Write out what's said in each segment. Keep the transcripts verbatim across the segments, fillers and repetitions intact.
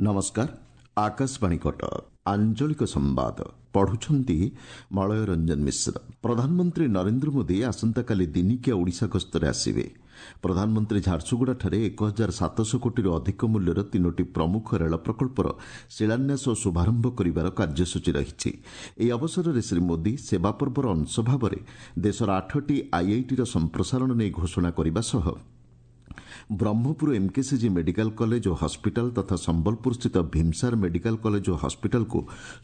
ନମସ୍କାର ଆକାଶବାଣୀ କଟକ ଆଞ୍ଚଳିକ ସମ୍ବାଦ ପଢୁଛନ୍ତି ମଳୟ ରଞ୍ଜନ ମିଶ୍ର ପ୍ରଧାନମନ୍ତ୍ରୀ ନରେନ୍ଦ୍ର ମୋଦି ଆସନ୍ତାକାଲି ଦିନିକିଆ ଓଡ଼ିଶା ଗସ୍ତରେ ଆସିବେ ପ୍ରଧାନମନ୍ତ୍ରୀ ଝାରସୁଗୁଡ଼ାଠାରେ ଏକ ହଜାର ସାତଶହ କୋଟିରୁ ଅଧିକ ମୂଲ୍ୟର ତିନୋଟି ପ୍ରମୁଖ ରେଳ ପ୍ରକଳ୍ପର ଶିଳାନ୍ୟାସ ଓ ଶୁଭାରମ୍ଭ କରିବାର କାର୍ଯ୍ୟସୂଚୀ ରହିଛି ଏହି ଅବସରରେ ଶ୍ରୀ ମୋଦି ସେବା ପର୍ବର ଅଂଶ ଭାବରେ ଦେଶର ଆଠଟି ଆଇଆଇଟିର ସମ୍ପ୍ରସାରଣ ନେଇ ଘୋଷଣା କରିବା ସହ ବ୍ରହ୍ମପୁର ଏମ୍କେସିଜି ମେଡିକାଲ କଲେଜ ଓ ହସ୍ପିଟାଲ ତଥା ସମ୍ବଲପୁରସ୍ଥିତ ଭୀମସାର ମେଡିକାଲ କଲେଜ ଓ ହସ୍ପିଟାଲକୁ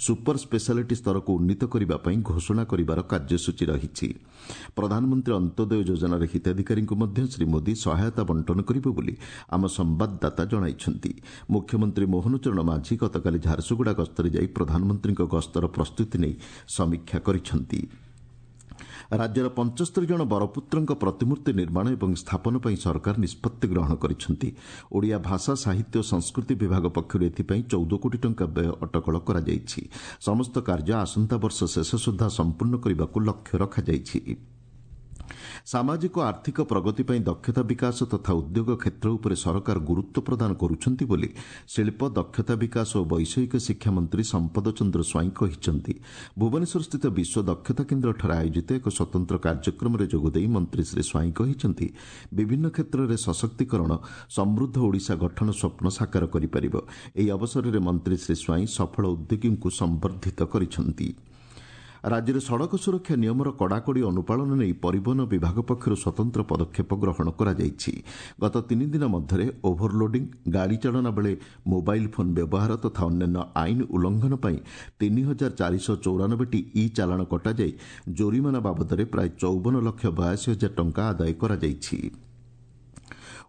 ସୁପର ସ୍ପେଶାଲିଟି ସ୍ତରକୁ ଉନ୍ନୀତ କରିବା ପାଇଁ ଘୋଷଣା କରିବାର କାର୍ଯ୍ୟସୂଚୀ ରହିଛି ପ୍ରଧାନମନ୍ତ୍ରୀ ଅନ୍ତ୍ୟୋଦୟ ଯୋଜନାର ହିତାଧିକାରୀଙ୍କୁ ମଧ୍ୟ ଶ୍ରୀ ମୋଦି ସହାୟତା ବଣ୍ଟନ କରିବେ ବୋଲି ଆମ ସମ୍ବାଦଦାତା ଜଣାଇଛନ୍ତି ମୁଖ୍ୟମନ୍ତ୍ରୀ ମୋହନ ଚରଣ ମାଝୀ ଗତକାଲି ଝାରସୁଗୁଡ଼ା ଗସ୍ତରେ ଯାଇ ପ୍ରଧାନମନ୍ତ୍ରୀଙ୍କ ଗସ୍ତର ପ୍ରସ୍ତୁତି ନେଇ ସମୀକ୍ଷା କରିଛନ୍ତି ରାଜ୍ୟର ପଞ୍ଚସ୍ତରୀ ଜଣ ବରପୁତ୍ରଙ୍କ ପ୍ରତିମୂର୍ତ୍ତି ନିର୍ମାଣ ଏବଂ ସ୍ଥାପନ ପାଇଁ ସରକାର ନିଷ୍ପତ୍ତି ଗ୍ରହଣ କରିଛନ୍ତି ଓଡ଼ିଆ ଭାଷା ସାହିତ୍ୟ ଓ ସଂସ୍କୃତି ବିଭାଗ ପକ୍ଷରୁ ଏଥିପାଇଁ ଚଉଦ କୋଟି ଟଙ୍କା ବ୍ୟୟ ଅଟକଳ କରାଯାଇଛି ସମସ୍ତ କାର୍ଯ୍ୟ ଆସନ୍ତା ବର୍ଷ ଶେଷ ସୁଦ୍ଧା ସମ୍ପୂର୍ଣ୍ଣ କରିବାକୁ ଲକ୍ଷ୍ୟ ରଖାଯାଇଛି ସାମାଜିକ ଆର୍ଥିକ ପ୍ରଗତି ପାଇଁ ଦକ୍ଷତା ବିକାଶ ତଥା ଉଦ୍ୟୋଗ କ୍ଷେତ୍ର ଉପରେ ସରକାର ଗୁରୁତ୍ୱ ପ୍ରଦାନ କରୁଛନ୍ତି ବୋଲି ଶିଳ୍ପ ଦକ୍ଷତା ବିକାଶ ଓ ବୈଷୟିକ ଶିକ୍ଷା ମନ୍ତ୍ରୀ ସମ୍ପଦ ଚନ୍ଦ୍ର ସ୍ୱାଇଁ କହିଛନ୍ତି ଭୁବନେଶ୍ୱରସ୍ଥିତ ବିଶ୍ୱ ଦକ୍ଷତା କେନ୍ଦ୍ରଠାରେ ଆୟୋଜିତ ଏକ ସ୍ୱତନ୍ତ୍ର କାର୍ଯ୍ୟକ୍ରମରେ ଯୋଗଦେଇ ମନ୍ତ୍ରୀ ଶ୍ରୀ ସ୍ୱାଇଁ କହିଛନ୍ତି ବିଭିନ୍ନ କ୍ଷେତ୍ରରେ ସଶକ୍ତିକରଣ ସମୃଦ୍ଧ ଓଡ଼ିଶା ଗଠନ ସ୍ୱପ୍ନ ସାକାର କରିପାରିବ ଏହି ଅବସରରେ ମନ୍ତ୍ରୀ ଶ୍ରୀ ସ୍ୱାଇଁ ସଫଳ ଉଦ୍ୟୋଗୀଙ୍କୁ ସମ୍ବର୍ଦ୍ଧିତ କରିଛନ୍ତି ରାଜ୍ୟରେ ସଡ଼କ ସୁରକ୍ଷା ନିୟମର କଡ଼ାକଡ଼ି ଅନୁପାଳନ ନେଇ ପରିବହନ ବିଭାଗ ପକ୍ଷରୁ ସ୍ୱତନ୍ତ୍ର ପଦକ୍ଷେପ ଗ୍ରହଣ କରାଯାଇଛି ଗତ ତିନି ଦିନ ମଧ୍ୟରେ ଓଭରଲୋଡିଂ ଗାଡ଼ି ଚାଳନା ବେଳେ ମୋବାଇଲ୍ ଫୋନ୍ ବ୍ୟବହାର ତଥା ଅନ୍ୟାନ୍ୟ ଆଇନ ଉଲ୍ଲଂଘନ ପାଇଁ ତିନି ହଜାର ଚାରିଶହ ଚଉରାନବେଟି ଇ ଚାଲାଣ କଟାଯାଇ ଜୋରିମାନା ବାବଦରେ ପ୍ରାୟ ଚଉବନ ଲକ୍ଷ ବୟାଅଶୀ ହଜାର ଟଙ୍କା ଆଦାୟ କରାଯାଇଛି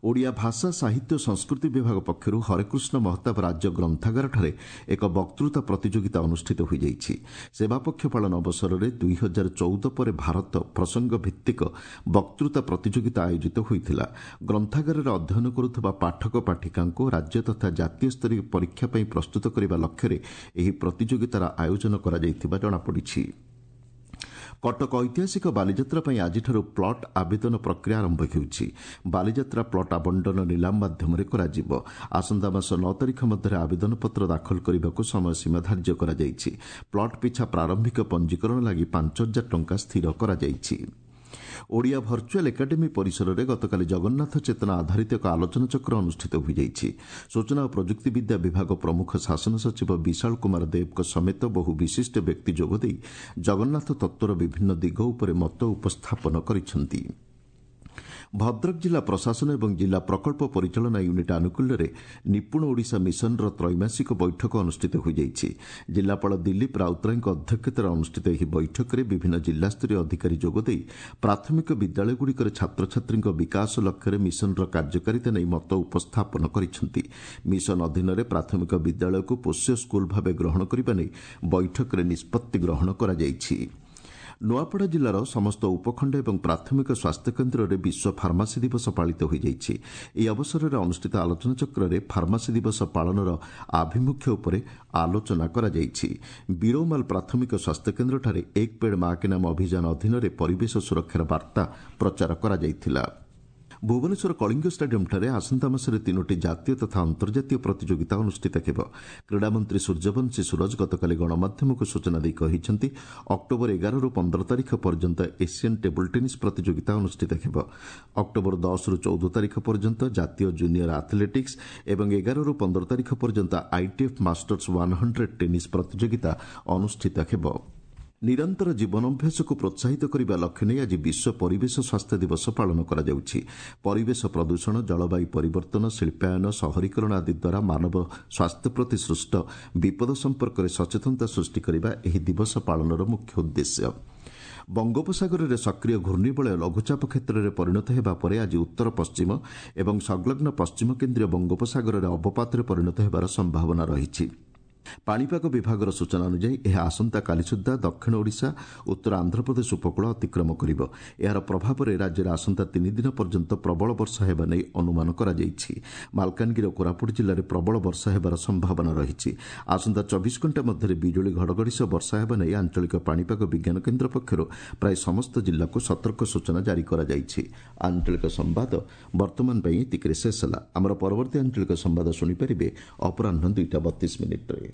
ଓଡ଼ିଆ ଭାଷା ସାହିତ୍ୟ ଓ ସଂସ୍କୃତି ବିଭାଗ ପକ୍ଷରୁ ହରେକୃଷ୍ଣ ମହତାବ ରାଜ୍ୟ ଗ୍ରନ୍ଥାଗାରଠାରେ ଏକ ବକ୍ତୃତା ପ୍ରତିଯୋଗିତା ଅନୁଷ୍ଠିତ ହୋଇଯାଇଛି ସେବାପକ୍ଷ ପାଳନ ଅବସରରେ ଦୁଇ ହଜାର ଚଉଦ ପରେ ଭାରତ ପ୍ରସଙ୍ଗ ଭିତ୍ତିକ ବକ୍ତୃତା ପ୍ରତିଯୋଗିତା ଆୟୋଜିତ ହୋଇଥିଲା ଗ୍ରନ୍ଥାଗାରରେ ଅଧ୍ୟୟନ କରୁଥିବା ପାଠକ ପାଠିକାଙ୍କୁ ରାଜ୍ୟ ତଥା ଜାତୀୟ ସ୍ତରୀୟ ପରୀକ୍ଷା ପାଇଁ ପ୍ରସ୍ତୁତ କରିବା ଲକ୍ଷ୍ୟରେ ଏହି ପ୍ରତିଯୋଗିତାର ଆୟୋଜନ କରାଯାଇଥିବା ଜଣାପଡ଼ିଛି କଟକ ଐତିହାସିକ ବାଲିଯାତ୍ରା ପାଇଁ ଆଜିଠାରୁ ପ୍ଲଟ୍ ଆବେଦନ ପ୍ରକ୍ରିୟା ଆରମ୍ଭ ହେଉଛି ବାଲିଯାତ୍ରା ପ୍ଲଟ୍ ଆବଣ୍ଟନ ନିଲାମ ମାଧ୍ୟମରେ କରାଯିବ ଆସନ୍ତା ମାସ ନଅ ତାରିଖ ମଧ୍ୟରେ ଆବେଦନପତ୍ର ଦାଖଲ କରିବାକୁ ସମୟସୀମା ଧାର୍ଯ୍ୟ କରାଯାଇଛି ପ୍ଲଟ୍ ପିଛା ପ୍ରାରମ୍ଭିକ ପଞ୍ଜୀକରଣ ଲାଗି ପାଞ୍ଚ ହଜାର ଟଙ୍କା ସ୍ଥିର କରାଯାଇଛି ଓଡ଼ିଆ ଭର୍ଚୁଆଲ୍ ଏକାଡେମୀ ପରିସରରେ ଗତକାଲି ଜଗନ୍ନାଥ ଚେତନା ଆଧାରିତ ଏକ ଆଲୋଚନାଚକ୍ର ଅନୁଷ୍ଠିତ ହୋଇଯାଇଛି ସୂଚନା ଓ ପ୍ରଯୁକ୍ତିବିଦ୍ୟା ବିଭାଗ ପ୍ରମୁଖ ଶାସନ ସଚିବ ବିଶାଳ କୁମାର ଦେବଙ୍କ ସମେତ ବହୁ ବିଶିଷ୍ଟ ବ୍ୟକ୍ତି ଯୋଗଦେଇ ଜଗନ୍ନାଥ ତତ୍ତ୍ୱର ବିଭିନ୍ନ ଦିଗ ଉପରେ ମତ ଉପସ୍ଥାପନ କରିଛନ୍ତି ଭଦ୍ରକ ଜିଲ୍ଲା ପ୍ରଶାସନ ଏବଂ ଜିଲ୍ଲା ପ୍ରକଳ୍ପ ପରିଚାଳନା ୟୁନିଟ୍ ଆନୁକୂଲ୍ୟରେ ନିପୁଣ ଓଡ଼ିଶା ମିଶନର ତ୍ରୈମାସିକ ବୈଠକ ଅନୁଷ୍ଠିତ ହୋଇଯାଇଛି ଜିଲ୍ଲାପାଳ ଦିଲ୍ଲୀପ ରାଉତରାୟଙ୍କ ଅଧ୍ୟକ୍ଷତାରେ ଅନୁଷ୍ଠିତ ଏହି ବୈଠକରେ ବିଭିନ୍ନ ଜିଲ୍ଲାସ୍ତରୀୟ ଅଧିକାରୀ ଯୋଗଦେଇ ପ୍ରାଥମିକ ବିଦ୍ୟାଳୟଗୁଡ଼ିକରେ ଛାତ୍ରଛାତ୍ରୀଙ୍କ ବିକାଶ ଲକ୍ଷ୍ୟରେ ମିଶନର କାର୍ଯ୍ୟକାରିତା ନେଇ ମତ ଉପସ୍ଥାପନ କରିଛନ୍ତି ମିଶନ ଅଧୀନରେ ପ୍ରାଥମିକ ବିଦ୍ୟାଳୟକୁ ପୋଷ୍ୟ ସ୍କୁଲ ଭାବେ ଗ୍ରହଣ କରିବା ନେଇ ବୈଠକରେ ନିଷ୍ପତ୍ତି ଗ୍ରହଣ କରାଯାଇଛି ନୂଆପଡ଼ା ଜିଲ୍ଲାର ସମସ୍ତ ଉପଖଣ୍ଡ ଏବଂ ପ୍ରାଥମିକ ସ୍ୱାସ୍ଥ୍ୟକେନ୍ଦ୍ରରେ ବିଶ୍ୱ ଫାର୍ମାସୀ ଦିବସ ପାଳିତ ହୋଇଯାଇଛି ଏହି ଅବସରରେ ଅନୁଷ୍ଠିତ ଆଲୋଚନାଚକ୍ରରେ ଫାର୍ମାସୀ ଦିବସ ପାଳନର ଆଭିମୁଖ୍ୟ ଉପରେ ଆଲୋଚନା କରାଯାଇଛି ବିରୋମାଲ ପ୍ରାଥମିକ ସ୍ୱାସ୍ଥ୍ୟକେନ୍ଦ୍ରଠାରେ ଏକ ପେଡ୍ ମା କେ ନାମ ଅଭିଯାନ ଅଧୀନରେ ପରିବେଶ ସୁରକ୍ଷାର ବାର୍ତ୍ତା ପ୍ରଚାର କରାଯାଇଥିଲା ଭୁବନେଶ୍ୱର କଳିଙ୍ଗ ଷ୍ଟାଡିୟମ୍ଠାରେ ଆସନ୍ତା ମାସରେ ତିନୋଟି ଜାତୀୟ ତଥା ଅନ୍ତର୍ଜାତୀୟ ପ୍ରତିଯୋଗିତା ଅନୁଷ୍ଠିତ ହେବ କ୍ରୀଡ଼ାମନ୍ତ୍ରୀ ସୂର୍ଯ୍ୟବଂଶୀ ସୂରଜ ଗତକାଲି ଗଣମାଧ୍ୟମକୁ ସୂଚନା ଦେଇ କହିଛନ୍ତି ଅକ୍ଟୋବର ଏଗାରରୁ ପନ୍ଦର ତାରିଖ ପର୍ଯ୍ୟନ୍ତ ଏସିଆନ୍ ଟେବୁଲ୍ ଟେନିସ୍ ପ୍ରତିଯୋଗିତା ଅନୁଷ୍ଠିତ ହେବ ଅକ୍ଟୋବର ଦଶରୁ ଚଉଦ ତାରିଖ ପର୍ଯ୍ୟନ୍ତ ଜାତୀୟ ଜୁନିୟର ଆଥଲେଟିକ୍ସ ଏବଂ ଏଗାରରୁ ପନ୍ଦର ତାରିଖ ପର୍ଯ୍ୟନ୍ତ ITF Masters one hundred tennis ପ୍ରତିଯୋଗିତା ଅନୁଷ୍ଠିତ ହେବ ନିରନ୍ତର ଜୀବନାଭ୍ୟାସକୁ ପ୍ରୋତ୍ସାହିତ କରିବା ଲକ୍ଷ୍ୟ ନେଇ ଆଜି ବିଶ୍ୱ ପରିବେଶ ସ୍ୱାସ୍ଥ୍ୟ ଦିବସ ପାଳନ କରାଯାଉଛି ପରିବେଶ ପ୍ରଦୂଷଣ ଜଳବାୟୁ ପରିବର୍ତ୍ତନ ଶିଳ୍ପାୟନ ସହରୀକରଣ ଆଦି ଦ୍ୱାରା ମାନବ ସ୍ୱାସ୍ଥ୍ୟ ପ୍ରତି ସୃଷ୍ଟ ବିପଦ ସମ୍ପର୍କରେ ସଚେତନତା ସୃଷ୍ଟି କରିବା ଏହି ଦିବସ ପାଳନର ମୁଖ୍ୟ ଉଦ୍ଦେଶ୍ୟ ବଙ୍ଗୋପସାଗରରେ ସକ୍ରିୟ ଘୂର୍ଣ୍ଣିବଳୟ ଲଘୁଚାପ କ୍ଷେତ୍ରରେ ପରିଣତ ହେବା ପରେ ଆଜି ଉତ୍ତର ପଶ୍ଚିମ ଏବଂ ସଂଲଗ୍ନ ପଶ୍ଚିମ କେନ୍ଦ୍ରୀୟ ବଙ୍ଗୋପସାଗରରେ ଅବପାତରେ ପରିଣତ ହେବାର ସମ୍ଭାବନା ରହିଛି ପାଣିପାଗ ବିଭାଗର ସୂଚନା ଅନୁଯାୟୀ ଏହା ଆସନ୍ତାକାଲି ସୁଦ୍ଧା ଦକ୍ଷିଣ ଓଡ଼ିଶା, ଉତ୍ତର ଆନ୍ଧ୍ରପ୍ରଦେଶ ଉପକୂଳ ଅତିକ୍ରମ କରିବ। ଏହାର ପ୍ରଭାବରେ ରାଜ୍ୟରେ ଆସନ୍ତା ତିନି ଦିନ ପର୍ଯ୍ୟନ୍ତ ପ୍ରବଳ ବର୍ଷା ହେବା ନେଇ ଅନୁମାନ କରାଯାଇଛି। ମାଲକାନଗିରି ଓ କୋରାପୁଟ ଜିଲ୍ଲାରେ ପ୍ରବଳ ବର୍ଷା ହେବାର ସମ୍ଭାବନା ରହିଛି। ଆସନ୍ତା ଚବିଶ ଘଣ୍ଟା ମଧ୍ୟରେ ବିଜୁଳି ଘଡ଼ଘଡ଼ି ସହ ବର୍ଷା ହେବା ନେଇ ଆଞ୍ଚଳିକ ପାଣିପାଗ ବିଜ୍ଞାନ କେନ୍ଦ୍ର ପକ୍ଷରୁ ପ୍ରାୟ ସମସ୍ତ ଜିଲ୍ଲାକୁ ସତର୍କ ସୂଚନା ଜାରି କରାଯାଇଛି। ଆଞ୍ଚଳିକ ସମ୍ବାଦ ବର୍ତ୍ତମାନ ପାଇଁ ଏତିକିରେ ଶେଷ ହେଲା। ଆମର ପରବର୍ତ୍ତୀ ଆଞ୍ଚଳିକ ସମ୍ବାଦ ଶୁଣିପାରିବେ ଅପରାହ୍ନ ଦୁଇଟା ବତିଶ ମିନିଟ୍ରେ।